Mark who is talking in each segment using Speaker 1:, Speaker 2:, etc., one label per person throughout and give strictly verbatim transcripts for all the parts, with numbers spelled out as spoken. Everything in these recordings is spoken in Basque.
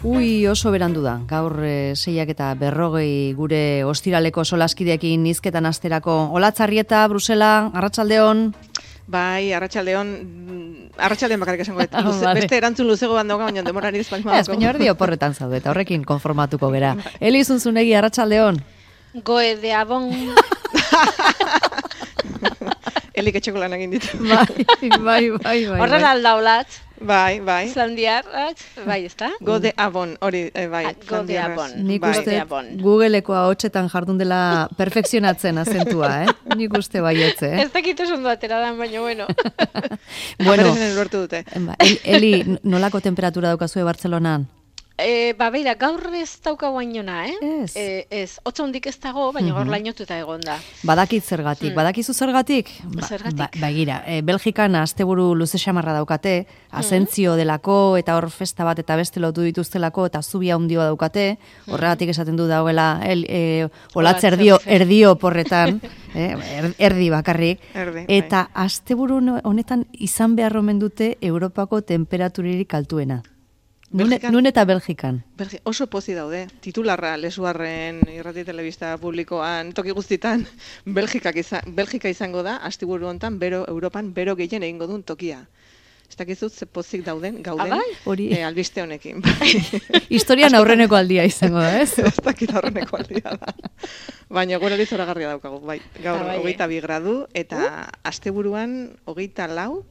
Speaker 1: Ui, oso berandu da. Gaur e, seiak eta berrogei gure ostiraleko solaskideekin nizketan asterako. Olatzarrieta, Brusela, arratsaldeon.
Speaker 2: Bai, arratsaldeon, arratsaldeon bakarrik esango eta vale. Beste erantzun luzego bat dauka, baina demora nire espalma
Speaker 1: dauka. Ez, baina erdi oporretan zaude, eta horrekin konformatuko gera. Eli Zunzunegi, arratsaldeon.
Speaker 3: Goe de abon.
Speaker 2: Elik etxeko lan egin ditu.
Speaker 1: Bai, bai, bai, bai.
Speaker 3: Horren aldaulat.
Speaker 2: Bai, bai.
Speaker 3: Islandiarrak, bai, ezta?
Speaker 2: Go de abon, hori, bai.
Speaker 3: Go de abon.
Speaker 1: Nik uste Googleeko ahotsetan jardun dela perfekzionatzen azentua, eh? Nik uste baietze, eh?
Speaker 3: Ez dakit oso ondo atera dan, baina bueno.
Speaker 1: Bueno,
Speaker 2: dute.
Speaker 1: Eli, nolako temperatura daukazue Bartzelonan?
Speaker 3: E, ba, beira, gaur ez dauka guainona, eh?
Speaker 1: Ez.
Speaker 3: E, ez, otza hondik ez dago, baina gaur lainotuta egon da.
Speaker 1: Badakit zergatik, hmm. badakizu zergatik?
Speaker 3: Ba, zergatik?
Speaker 1: Ba, bagira, e, Belgikan asteburu luze xamarra daukate, asentzio delako, eta hor festa bat eta beste lotu dituztelako, eta zubia hundioa daukate, horregatik esaten du dagoela, el, e, olatz erdio, erdio porretan, eh, erdi bakarrik,
Speaker 2: erdi,
Speaker 1: eta asteburu honetan izan behar omen dute Europako temperaturirik altuena. Nun eta Belgikan?
Speaker 2: Belgi, oso pozi daude. Titularra lesuarren irrati telebista publikoan toki guztitan Belgikak izan, Belgika izango da asteburu hontan bero Europan bero gehien egingo duen tokia. Ez dakizut ze pozik dauden, gauden
Speaker 1: hori
Speaker 2: e, albiste honekin.
Speaker 1: Historian aurreneko aldia izango da, ez?
Speaker 2: Ez dakit aurreneko aldia da. Baina gure hori zoragarria daukagu. Bai, gaur hogeita bi gradu eta asteburuan hogeita lau.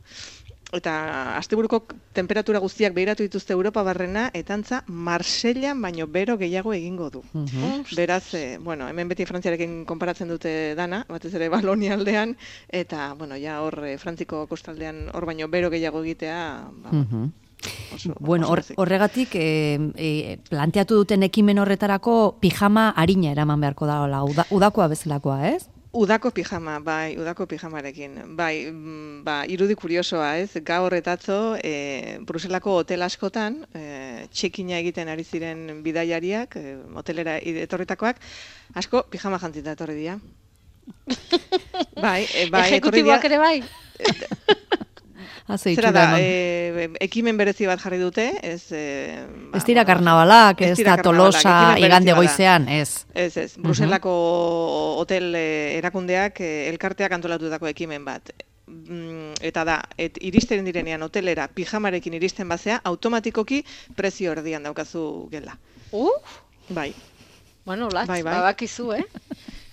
Speaker 2: Eta asteburuko temperatura guztiak behiratu dituzte Europa barrena, eta antza Marsellan baino bero gehiago egingo du. Uh-huh. Beraz, eh, bueno, hemen beti Frantziarekin konparatzen dute dana, batez ere Balonia aldean, eta, bueno, ja hor eh, Frantziko kostaldean hor baino bero gehiago egitea, ba,
Speaker 1: uh-huh. Oso, bueno, or, horregatik e, e, planteatu duten ekimen horretarako pijama arina eraman beharko da, uda, udakoa bezalakoa, ez?
Speaker 2: Udako pijama, bai, udako pijamarekin. Bai, ba, irudi kuriosoa, ez? Gaur etatzo, e, Bruselako hotel askotan, e, txekina egiten ari ziren bidaiariak, e, hotelera etorritakoak, asko pijama jantzita etorri dira. Bai, e, bai,
Speaker 3: ejekutiboak ere bai?
Speaker 2: Zera da, e, ekimen berezi bat jarri dute, ez... E,
Speaker 1: ba, ez dira karnabalak, ez da Tolosa igande goizean, ez.
Speaker 2: Ez, ez, Bruselako uh-huh. hotel e, erakundeak e, elkarteak antolatutako ekimen bat. Mm, eta da, et, iristen direnean hotelera pijamarekin iristen bazea, automatikoki prezio erdian daukazu gela.
Speaker 3: Uh?
Speaker 2: Bai.
Speaker 3: Bueno, latz,
Speaker 2: bai, bai.
Speaker 3: babakizu, eh?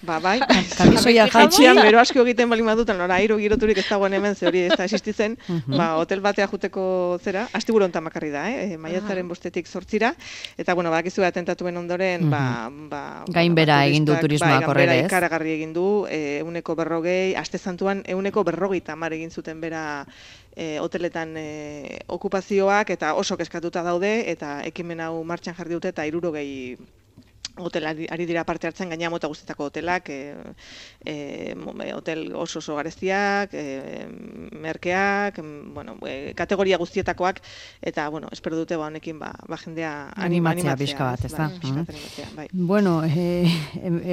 Speaker 2: Ba, bai,
Speaker 1: kamisoia
Speaker 2: jaitxian bero asko egiten bali maduten, lora, airo giroturik ez dagoen hemen, ze hori ez da existitzen, uh-huh. ba, hotel batea juteko zera, asteburu hontan bakarri da, eh? Maiatzaren bostetik zortzira, eta, bueno, badakizu atentatuen ondoren, uh-huh. ba, ba...
Speaker 1: Gainbera egin du turismoak horre, ez?
Speaker 2: Gainbera ikaragarri egin du, euneko berrogei, aste zantuan, euneko berrogei tamar egin zuten bera e, hoteletan e, okupazioak, eta oso keskatuta daude, eta ekimen hau martxan jarri dute, eta hirurogei hotel ari dira parte hartzen, gaina mota guztietako hotelak, e, e, hotel oso oso garestiak, e, merkeak, bueno, e, kategoria guztietakoak, eta, bueno, espero dute ba honekin ba, ba jendea
Speaker 1: animatzea bizka bat, ez da?
Speaker 2: Bai.
Speaker 1: Bueno, e,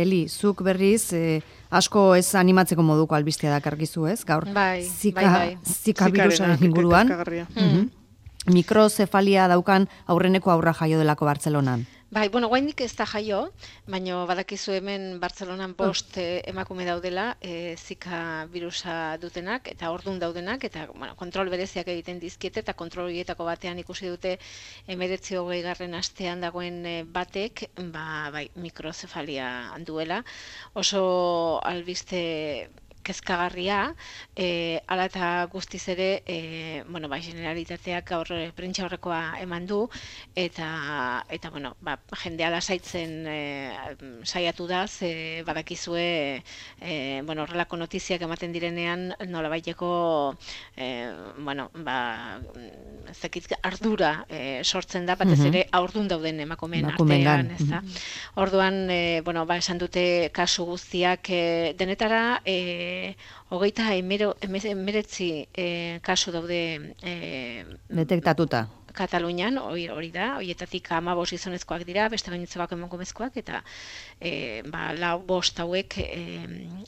Speaker 1: Eli, zuk berriz, e, asko ez animatzeko moduko albistea dakarkizu, ez? Gaur,
Speaker 3: bai,
Speaker 1: zika,
Speaker 3: bai, bai.
Speaker 1: zika virusaren inguruan,
Speaker 2: mm-hmm.
Speaker 1: mikrozefalia daukan aurreneko aurra jaio delako Bartzelonan.
Speaker 3: Bai, bueno, guaindik ez da jaio, baina badakizu hemen Bartzelonan bost eh, emakume daudela, eh, zika virusa dutenak, eta ordun daudenak, eta bueno, kontrol bereziak egiten dizkiete, eta kontrol horietako batean ikusi dute hemeretzi hogei garren astean dagoen eh, batek, ba, bai, mikrozefalia duela, oso albiste kezkagarria, e, ala eta guztiz ere, e, bueno, ba, generalitateak gaur prentsa horrekoa eman du, eta, eta bueno, ba, jendea lasaitzen e, saiatu da, ze badakizue, e, bueno, horrelako notiziak ematen direnean, nola baiteko, e, bueno, ba, zekit ardura e, sortzen da, batez ere aurdun dauden emakumeen artean, ez da. Orduan, e, bueno, ba, esan dute kasu guztiak e, denetara, e, hogeita emeretzi e, kasu daude e,
Speaker 1: detektatuta.
Speaker 3: Katalunian, hori, hori da, horietatik hamabost gizonezkoak dira, beste gainontzekoak emakumezkoak, eta e, ba, lau bost hauek e,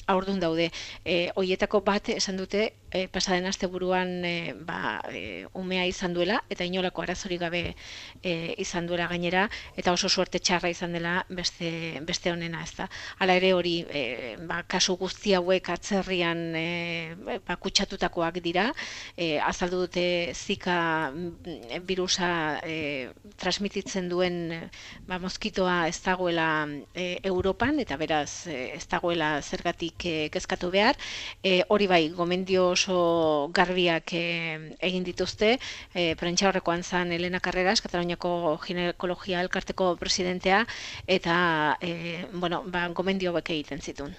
Speaker 3: haurdun daude. E, horietako bat esan dute, e, pasaden asteburuan e, ba, e, umea izan duela, eta inolako arazorik gabe e, izan duela gainera, eta oso suerte txarra izan dela beste, beste honena, ez da. Hala ere hori, e, ba, kasu guzti hauek atzerrian e, ba, kutsatutakoak dira, e, azaldu dute Zika virusa e, transmititzen duen ba, moskitoa ez dagoela e, Europan, eta beraz e, ez dagoela zergatik e, kezkatu behar. E, hori bai, gomendio oso garbiak e, egin dituzte, e, prentxaurrekoan zan Elena Carreras, Kataluniako ginekologia elkarteko presidentea, eta e, bueno, ba, gomendio hauek egiten zituen.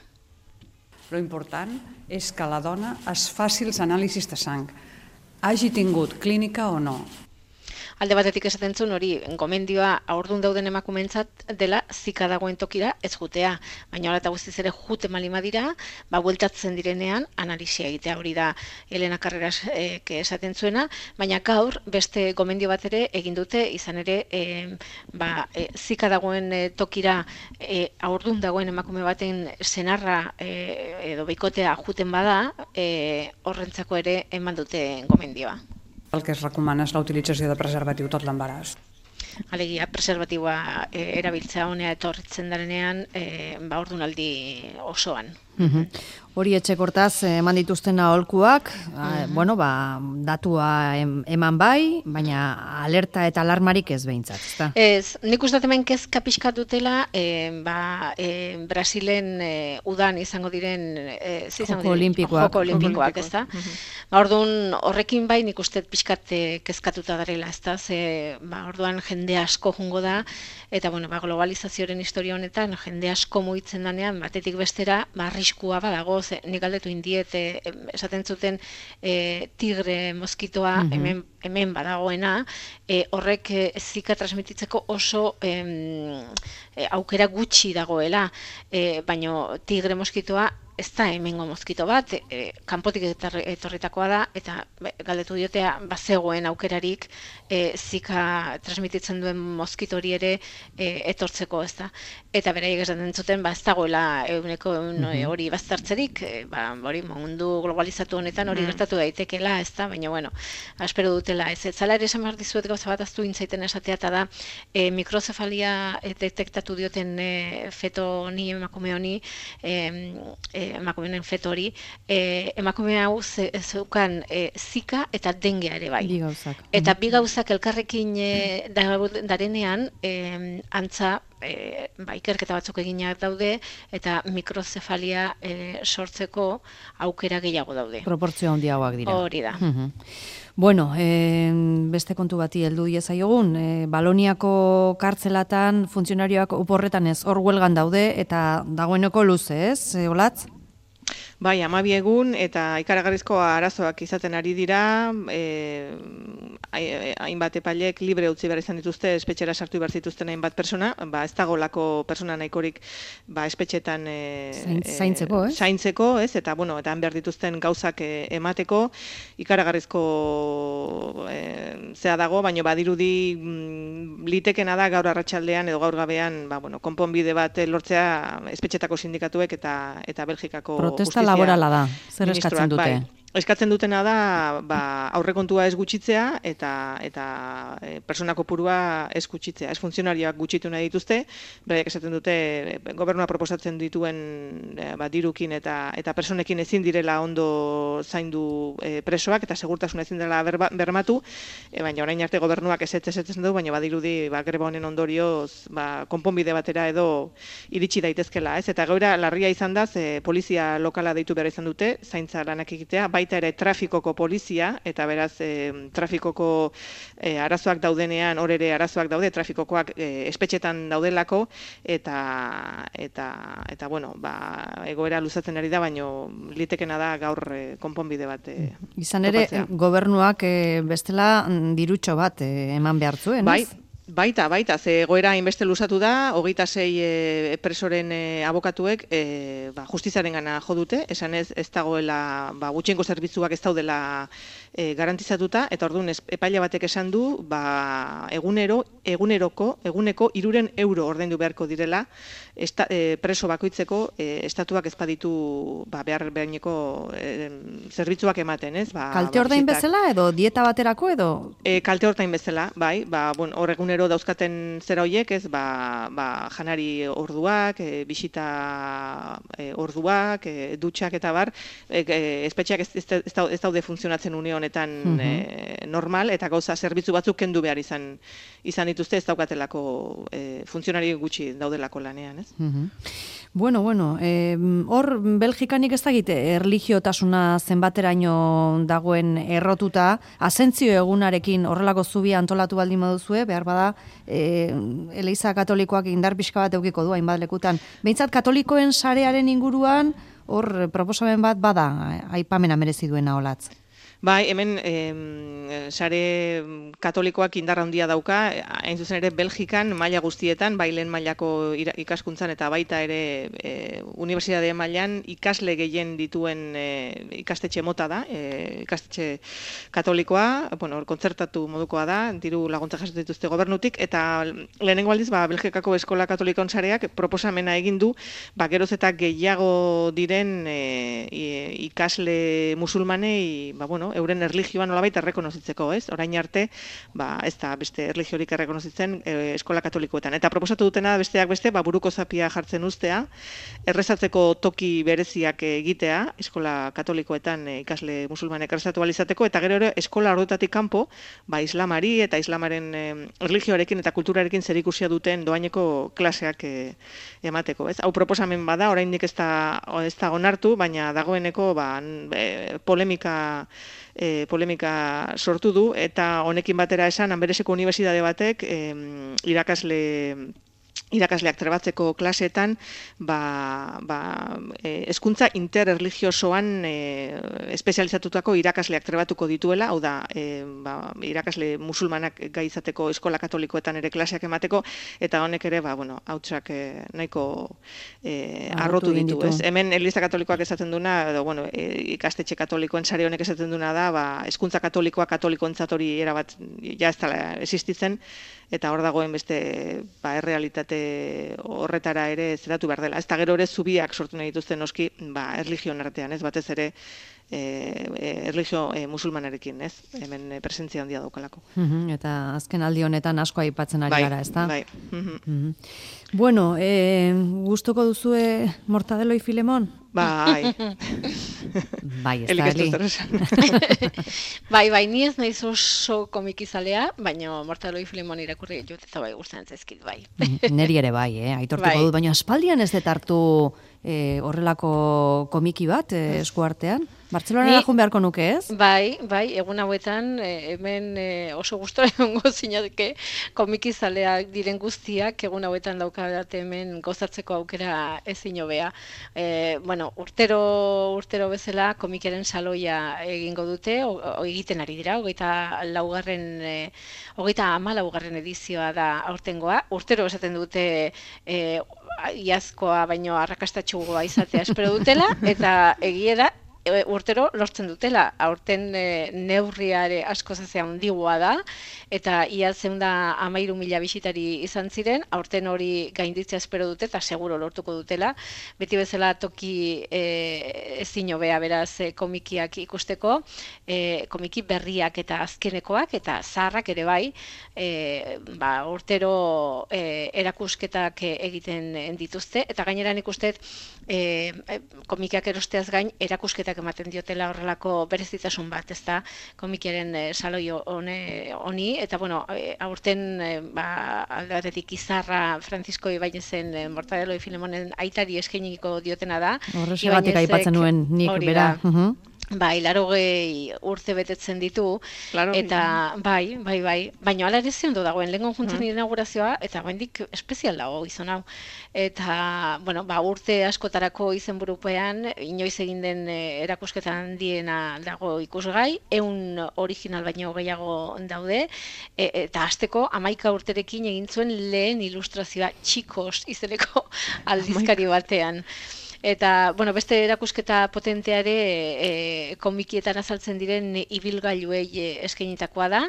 Speaker 4: Lo important és que la dona es faci els anàlisis de sang, hagi tingut clínica o no.
Speaker 3: Alde batetik esaten zuen hori gomendioa haurdun dauden emakumeentzat dela Zika dagoen tokira ez jutea, baina hala eta guztiz ere jute malima dira, ba bueltatzen direnean analisia egitea, hori da Elena Carreras e, esaten zuena, baina gaur beste gomendio bat ere egin dute, izan ere e, ba, e, Zika dagoen e, tokira e, haurdun dagoen emakume baten senarra e, edo bikotea juten bada, e, horrentzako ere eman dute gomendioa.
Speaker 4: El que es recomana és la utilització de preservatiu tot l'embaràs.
Speaker 3: Alegia, preservatiboa e, erabiltzea honea etorritzen darenean, e, ba ordunaldi osoan.
Speaker 1: Mm-hmm. Hori etxekortaz eman dituzten aholkuak, mm-hmm. bueno, ba, datua em, eman bai, baina alerta eta alarmarik ez behintzat, ezta?
Speaker 3: Ez, nik uste hemen kezka pixka dutela, e, ba, e, Brasilen e, udan izango diren e,
Speaker 1: Joko olimpikoak,
Speaker 3: Joko olimpikoak, ezta? Mm-hmm. Ba, orduan horrekin bai nik uste pixkat kezkatuta darela, ezta? Ze, ba, orduan jende asko jungo da, eta bueno, ba, globalizazioaren historia honetan jende asko mugitzen danean, batetik bestera, ba, arriskua badago, ze nik galdetu indiet, e, esaten zuten e, tigre moskitoa mm-hmm. hemen, hemen badagoena, e, horrek e, Zika transmititzeko oso em, e, aukera gutxi dagoela, e, baino tigre moskitoa ez da hemengo moskito bat, e, kanpotik etorritakoa da, eta be, galdetu diotea bazegoen aukerarik e, Zika transmititzen duen moskitori ere e, etortzeko, ez da. Eta beraiek esaten zuten, ba, ez dagoela eguneko mm-hmm. hori baztertzerik, e, ba, hori mundu globalizatu honetan hori mm. gertatu daitekeela, ez da, baina, bueno, espero dutela, ez. Zala ere esan behar dizuet gauza bat aztu intzaiten esatea, eta da, e, mikrozefalia detektatu dioten e, feto honi, emakume honi, e, e, emakumeen feto hori, e, emakume hau zeukan e, Zika eta dengea ere bai.
Speaker 1: Bi gauzak.
Speaker 3: Eta bi gauzak elkarrekin e, darenean, e, antza, E, ba, ikerketa batzuk eginak daude eta mikrozefalia e, sortzeko aukera gehiago daude.
Speaker 1: Proportzio handiagoak dira.
Speaker 3: Hori da.
Speaker 1: Uh-huh. Bueno, e, beste kontu bati heldu diezaiogun, e, Baloniako kartzelatan funtzionarioak oporretan ez hor huelgan daude eta dagoeneko luze, ez, e, Olatz?
Speaker 2: Bai, hamabi egun eta ikaragarrizko arazoak izaten ari dira, e, hainbat epailek libre utzi behar izan dituzte, espetxera sartu behar zituzten hainbat persona, ba, ez dagolako persona nahikorik ba, espetxetan e,
Speaker 1: zaintzeko, eh?
Speaker 2: zaintzeko, ez? Eta, bueno, eta han behar dituzten gauzak e, emateko, ikaragarrizko e, zea dago, baina badirudi mm, litekena da gaur arratsaldean edo gaur gabean, ba, bueno, konponbide bat lortzea espetxetako sindikatuek eta, eta Belgikako
Speaker 1: protesta laborala da, zer eskatzen dute?
Speaker 2: Bai. Eskatzen dutena da ba, aurrekontua ez gutxitzea eta eta e, persona kopurua ez gutxitzea. Ez funtzionarioak gutxitu nahi dituzte, beraiek esaten dute e, gobernua proposatzen dituen e, ba, dirukin eta eta personekin ezin direla ondo zaindu e, presoak eta segurtasuna ezin dela berba, bermatu, e, baina orain arte gobernuak ez ez ez du, baina badirudi ba, greba honen ondorioz ba, konponbide batera edo iritsi daitezkela, ez? Eta egoera larria izan da, ze polizia lokala deitu behar izan dute, zaintza lanak egitea, baita ere trafikoko polizia, eta beraz e, trafikoko e, arazoak daudenean, hor ere arazoak daude, trafikokoak e, espetxetan daudelako, eta, eta, eta bueno, ba, egoera luzatzen ari da, baino litekena da gaur e, konponbide bat e,
Speaker 1: izan ere, topatzea. Gobernuak e, bestela dirutxo bat e, eman behar zuen,
Speaker 2: bai. Baita, baita, ze egoera hainbeste luzatu da, hogeita sei e, presoren e, abokatuek e, ba, justiziaren gana jo dute, esan ez, ez dagoela, ba, gutxiengo zerbitzuak ez daudela e, garantizatuta, eta orduan epaile batek esan du, ba, egunero, eguneroko, eguneko iruren euro ordaindu beharko direla, esta, e, preso bakoitzeko e, estatuak ezpaditu ba, behar behineko e, zerbitzuak ematen, ez? Ba,
Speaker 1: kalte ordain
Speaker 2: ba,
Speaker 1: bezala edo dieta baterako edo?
Speaker 2: E, kalte ordain bezala, bai, ba, bon, hor egunero dauzkaten zera hoiek, ez, ba, ba, janari orduak, e, bisita e, orduak, e, dutxak eta bar, e, e, espetxeak ez, ez, ez daude funtzionatzen une honetan uh-huh. e, normal, eta gauza zerbitzu batzuk kendu behar izan izan dituzte, ez daukatelako e, funtzionari gutxi daudelako lanean, ez?
Speaker 1: Uh-huh. Bueno, bueno, eh, hor Belgikanik ez dakite erlijiotasuna zenbateraino dagoen errotuta, asentzio egunarekin horrelako zubia antolatu baldin baduzue, behar bada eh, Eliza Katolikoak indar pixka bat eukiko du hainbat lekutan. Behintzat katolikoen sarearen inguruan hor proposamen bat bada aipamena merezi duena olatz.
Speaker 2: Bai, hemen eh, sare katolikoak indar handia dauka, hain zuzen ere Belgikan maila guztietan, bai lehen mailako ikaskuntzan eta baita ere e, unibertsitate mailan ikasle gehien dituen e, ikastetxe mota da, e, ikastetxe katolikoa, bueno, kontzertatu modukoa da, diru laguntza jasotzen dituzte gobernutik, eta lehenengo aldiz, ba, Belgikako eskola katolikon sareak proposamena egin du, ba, geroz eta gehiago diren e, ikasle musulmanei, ba, bueno, euren erlijioa nolabait errekonozitzeko, ez? Orain arte, ba, ez da beste erlijiorik errekonozitzen e, eskola katolikoetan. Eta proposatu dutena besteak beste, ba, buruko zapia jartzen ustea, errezatzeko toki bereziak egitea, eskola katolikoetan e, ikasle musulmanek errezatu alizateko, eta gero ere eskola ordutatik kanpo, ba, islamari eta islamaren e, erlijioarekin eta kulturarekin zerikusia duten doaineko klaseak e, emateko, ez? Hau proposamen bada, oraindik ez da, ez da onartu, baina dagoeneko ba, e, polemika E, polemika sortu du, eta honekin batera esan, Anbereseko unibertsitate batek e, irakasle irakasleak trebatzeko klaseetan ba, ba, e, hezkuntza interreligiosoan e, espezializatutako irakasleak trebatuko dituela, hau da, e, ba, irakasle musulmanak gai izateko eskola katolikoetan ere klaseak emateko, eta honek ere, ba, bueno, hautsak e, nahiko e, arrotu ditu. Ez? Hemen Eliza Katolikoak esaten duna, edo, bueno, e, ikastetxe katolikoen sare honek esaten duna da, ba, hezkuntza katolikoa katolikoentzat hori erabat ja ez dela existitzen, eta hor dagoen beste ba, errealitate horretara ere zeratu behar dela. Ez da gero ere zubiak sortu nahi dituzten noski ba, erlijioen artean, ez batez ere e, e, erlijio e, musulmanarekin, ez? Hemen e, presentzia handia daukalako.
Speaker 1: Uh-huh, eta azken aldi honetan asko aipatzen ari
Speaker 2: bai,
Speaker 1: gara, ez da?
Speaker 2: Bai, uh-huh.
Speaker 1: Uh-huh. Bueno, e, gustuko duzue Mortadelo y Filemón?
Speaker 2: Bai.
Speaker 1: Bai, ez da, Eli.
Speaker 3: Bai, bai, ni ez naiz oso komikizalea, baina Mortadelo y Filemón irakurri jut eta bai gustatzen zaizkit, bai.
Speaker 1: Neri ere bai, eh? Aitortuko
Speaker 3: bai.
Speaker 1: dut, baina aspaldian ez dut hartu eh, horrelako komiki bat eh, eskuartean. Bartzelonara ni... jun beharko nuke, ez?
Speaker 3: Bai, bai, egun hauetan eh, hemen eh, oso gustora egongo zinateke komikizaleak diren guztiak egun hauetan daukadat hemen gozatzeko aukera ezin hobea. Eh, bueno, urtero urtero bezala komikiaren saloia egingo dute, o, o, egiten ari dira, hogeita laugarren, eh, hogeita ama laugarren edizioa da aurtengoa. Urtero esaten dute eh, iazkoa baino arrakastatxugoa izatea espero dutela, eta egia da, urtero lortzen dutela, aurten e, neurriare asko zazea handigoa da, eta ia zeunda amairu mila bisitari izan ziren, aurten hori gainditzea espero dute, eta seguro lortuko dutela, beti bezala toki e, ezin hobea beraz e, komikiak ikusteko, e, komiki berriak eta azkenekoak, eta zaharrak ere bai, e, ba, urtero e, erakusketak egiten dituzte, eta gaineran ikustet e, komikiak erosteaz gain erakusketak ematen diotela horrelako berezitasun bat, ez da, komikiaren e, saloi honi, eta bueno, e, aurten e, ba, alde batetik Izarra Francisco Ibainezen e, Mortadelo y Filemonen aitari eskainiko diotena da.
Speaker 1: Horrexegatik aipatzen nuen nik bera. Uh-huh.
Speaker 3: Bai, larogei urte betetzen ditu, claro, eta bai, bai, bai, baina ala ere ondo dagoen, lehen konjuntzen mm. inaugurazioa, eta baindik espezial dago izan hau. Eta, bueno, ba, urte askotarako izenburupean, inoiz egin den erakusketan handiena dago ikusgai, ehun original baino gehiago daude, e, eta hasteko hamaika urterekin egin zuen lehen ilustrazioa Txikos izeneko aldizkari batean. Eta, bueno, beste erakusketa potenteare e, komikietan azaltzen diren ibilgailuei e, eskainitakoa da,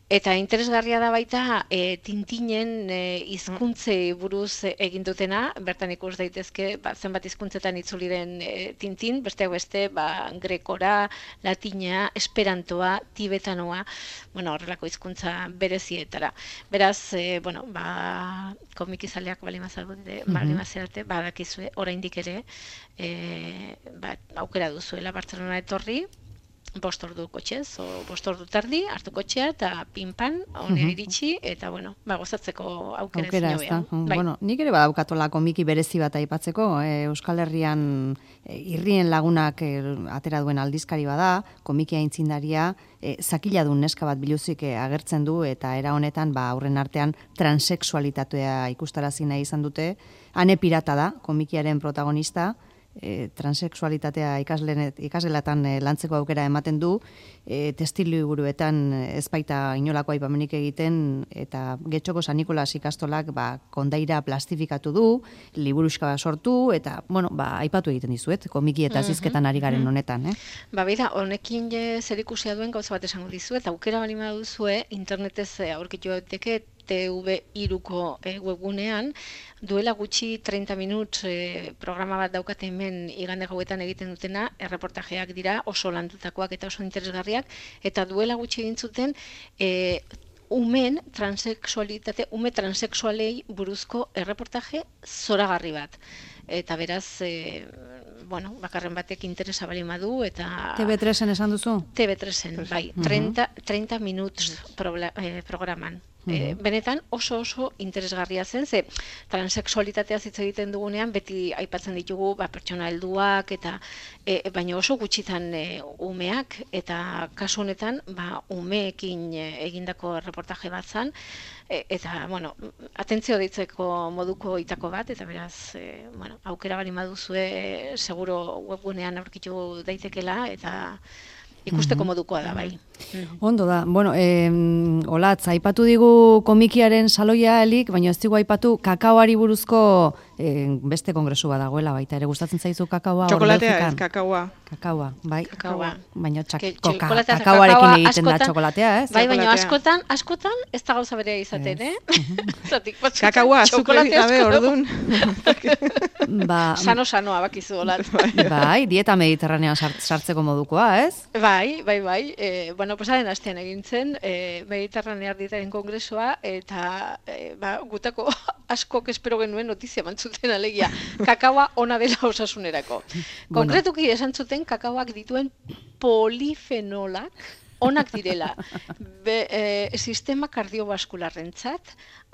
Speaker 3: eta interesgarria da baita e, Tintinen e, hizkuntzei buruz egin dutena, bertan ikus daitezke ba, zenbat hizkuntzetan itzuli den e, Tintin, besteak beste, ba, grekora, latina, esperantoa, tibetanoa, bueno, horrelako hizkuntza berezietara. Beraz, e, bueno, ba, komikizaleak balimazalde, mm-hmm. balimazalde, badakizue, oraindik ere, e, ba, aukera duzuela Bartzelona etorri, bost ordu kotxez, o bost ordu tardi, hartu kotxea, eta pinpan, honera iritsi, eta, bueno, ba, gozatzeko aukera,
Speaker 1: aukera ez da. Bai. Bueno, nik ere badaukatola komiki berezi bat aipatzeko, e, Euskal Herrian e, irrien lagunak e, atera duen aldizkari bada, komiki aintzindaria, e, zakiladun neska bat biluzik e, agertzen du, eta era honetan, ba, aurren artean transexualitatea ikustarazi nahi izan dute, Ane Pirata da, komikiaren protagonista, E, transexualitatea ikasgelatan e, lantzeko aukera ematen du, e, testiliburuetan ez baita inolako aipamenik egiten, eta Getxoko San Nikolas ikastolak ba, kondaira plastifikatu du, liburuska sortu, eta, bueno, ba, aipatu egiten dizuet, komiki eta zizketan ari garen honetan. Eh?
Speaker 3: Ba, beira, honekin zerikusia duen gauza bat esango dizuet, aukera balima duzue, internetez aurkitu daiteke T V hiruko e, webgunean, duela gutxi treinta minut e, programa bat daukate hemen igande gauetan egiten dutena, erreportajeak dira oso landutakoak eta oso interesgarriak, eta duela gutxi egin zuten e, umen transexualitate, ume transexualei buruzko erreportaje zoragarri bat. Eta beraz, e, bueno, bakarren batek interesa bali madu, eta...
Speaker 1: T V tresen esan duzu?
Speaker 3: T V tresen, bai, treinta, treinta minuts eh, programan. E, benetan oso oso interesgarria zen, ze transexualitatea hitz egiten dugunean beti aipatzen ditugu ba, pertsona helduak eta e, baina oso gutxitan e, umeak, eta kasu honetan ba, umeekin e, egindako reportaje bat zen, e, eta bueno, atentzio deitzeko moduko itako bat, eta beraz e, bueno, aukera bali maduzue e, seguro webgunean aurkitu daitekela, eta ikusteko modukoa da, bai.
Speaker 1: Ondo da. Bueno, eh, Olatz, aipatu digu komikiaren saloia elik, baina ez digu aipatu kakaoari buruzko eh, beste kongresu bat dagoela baita. Ere gustatzen zaizu kakaoa?
Speaker 2: Txokolatea ez, kakaoa.
Speaker 1: Kakaoa, bai.
Speaker 3: Kakaoa.
Speaker 1: Baina
Speaker 3: Ke,
Speaker 1: kakaoarekin egiten askotan, da txokolatea, ez?
Speaker 3: Bai, baina askotan, askotan ez da gauza berea izaten, eh?
Speaker 2: Kakaoa, azukrerik gabe ordun.
Speaker 1: Ba,
Speaker 3: Sano-sanoa bakizu, Olatz.
Speaker 1: Bai, dieta mediterranean sartzeko modukoa, ez?
Speaker 3: Bai, bai, bai. E, bueno, pasaren astean egin zen, e, mediterranear dietaren kongresua, eta e, ba, gutako askok espero genuen notizia mantzuten alegia. Kakaoa ona dela osasunerako. Konkretuki esan zuten kakaoak dituen polifenolak onak direla. Be, e, sistema kardiobaskularrentzat,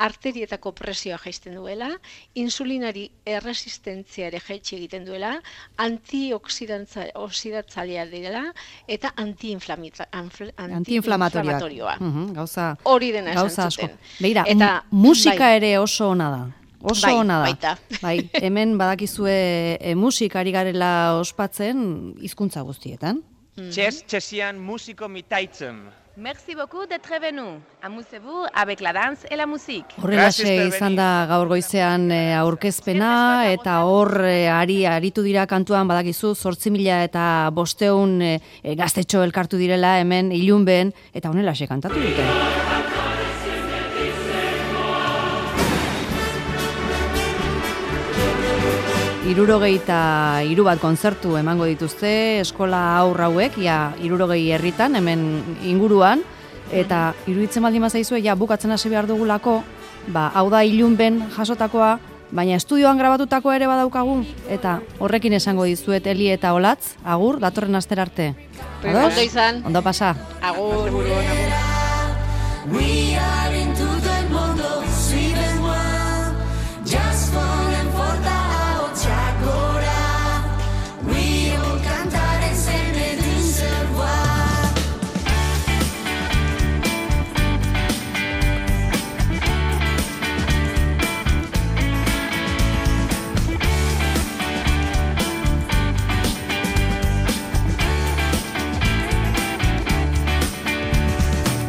Speaker 3: arterietako presioa jaisten duela, insulinari erresistenzia ere jaitsi egiten duela, antioxidatzailea dela, eta antiinflamatorioa.
Speaker 1: Uh-huh, gauza,
Speaker 3: hori dena
Speaker 1: gauza
Speaker 3: esan zuten.
Speaker 1: Beira,
Speaker 3: eta,
Speaker 1: musika
Speaker 3: bai,
Speaker 1: ere oso ona da. Oso
Speaker 3: bai,
Speaker 1: ona da.
Speaker 3: Baita.
Speaker 1: Bai, hemen badakizue e, musikari garela ospatzen hizkuntza guztietan.
Speaker 5: Txez, txezian musiko mitaitzen.
Speaker 6: Merci beaucoup d'être venu. Amusez-vous avec la danse et la musique.
Speaker 1: Horrelaxe izan da gaur goizean e, aurkezpena, eta hor e, ari aritu dira kantuan badakizu zortzi mila eta bosteun e, e, gaztetxo elkartu direla hemen ilunben, eta honelaxe kantatu dute. Hirurogeita hiru bat kontzertu emango dituzte eskola haur hauek, ja hirurogei herritan hemen inguruan, eta iruditzen baldin bazaizue ja bukatzen hasi behar dugulako, ba hau da ilunben jasotakoa, baina estudioan grabatutakoa ere badaukagu, eta horrekin esango dizuet Eli eta Olatz, agur, datorren astera arte.
Speaker 3: Ondo izan.
Speaker 1: Ondo pasa.
Speaker 3: Agur.
Speaker 7: We are into the mundo, sweet and wild, just falling for the Chacora, we all cantar en sene d'un seul voix.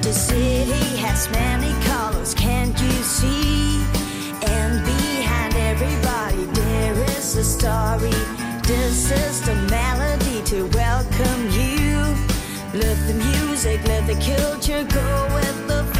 Speaker 7: The city has many colors, can't you see? And behind everybody there is a story. music, let the culture go with the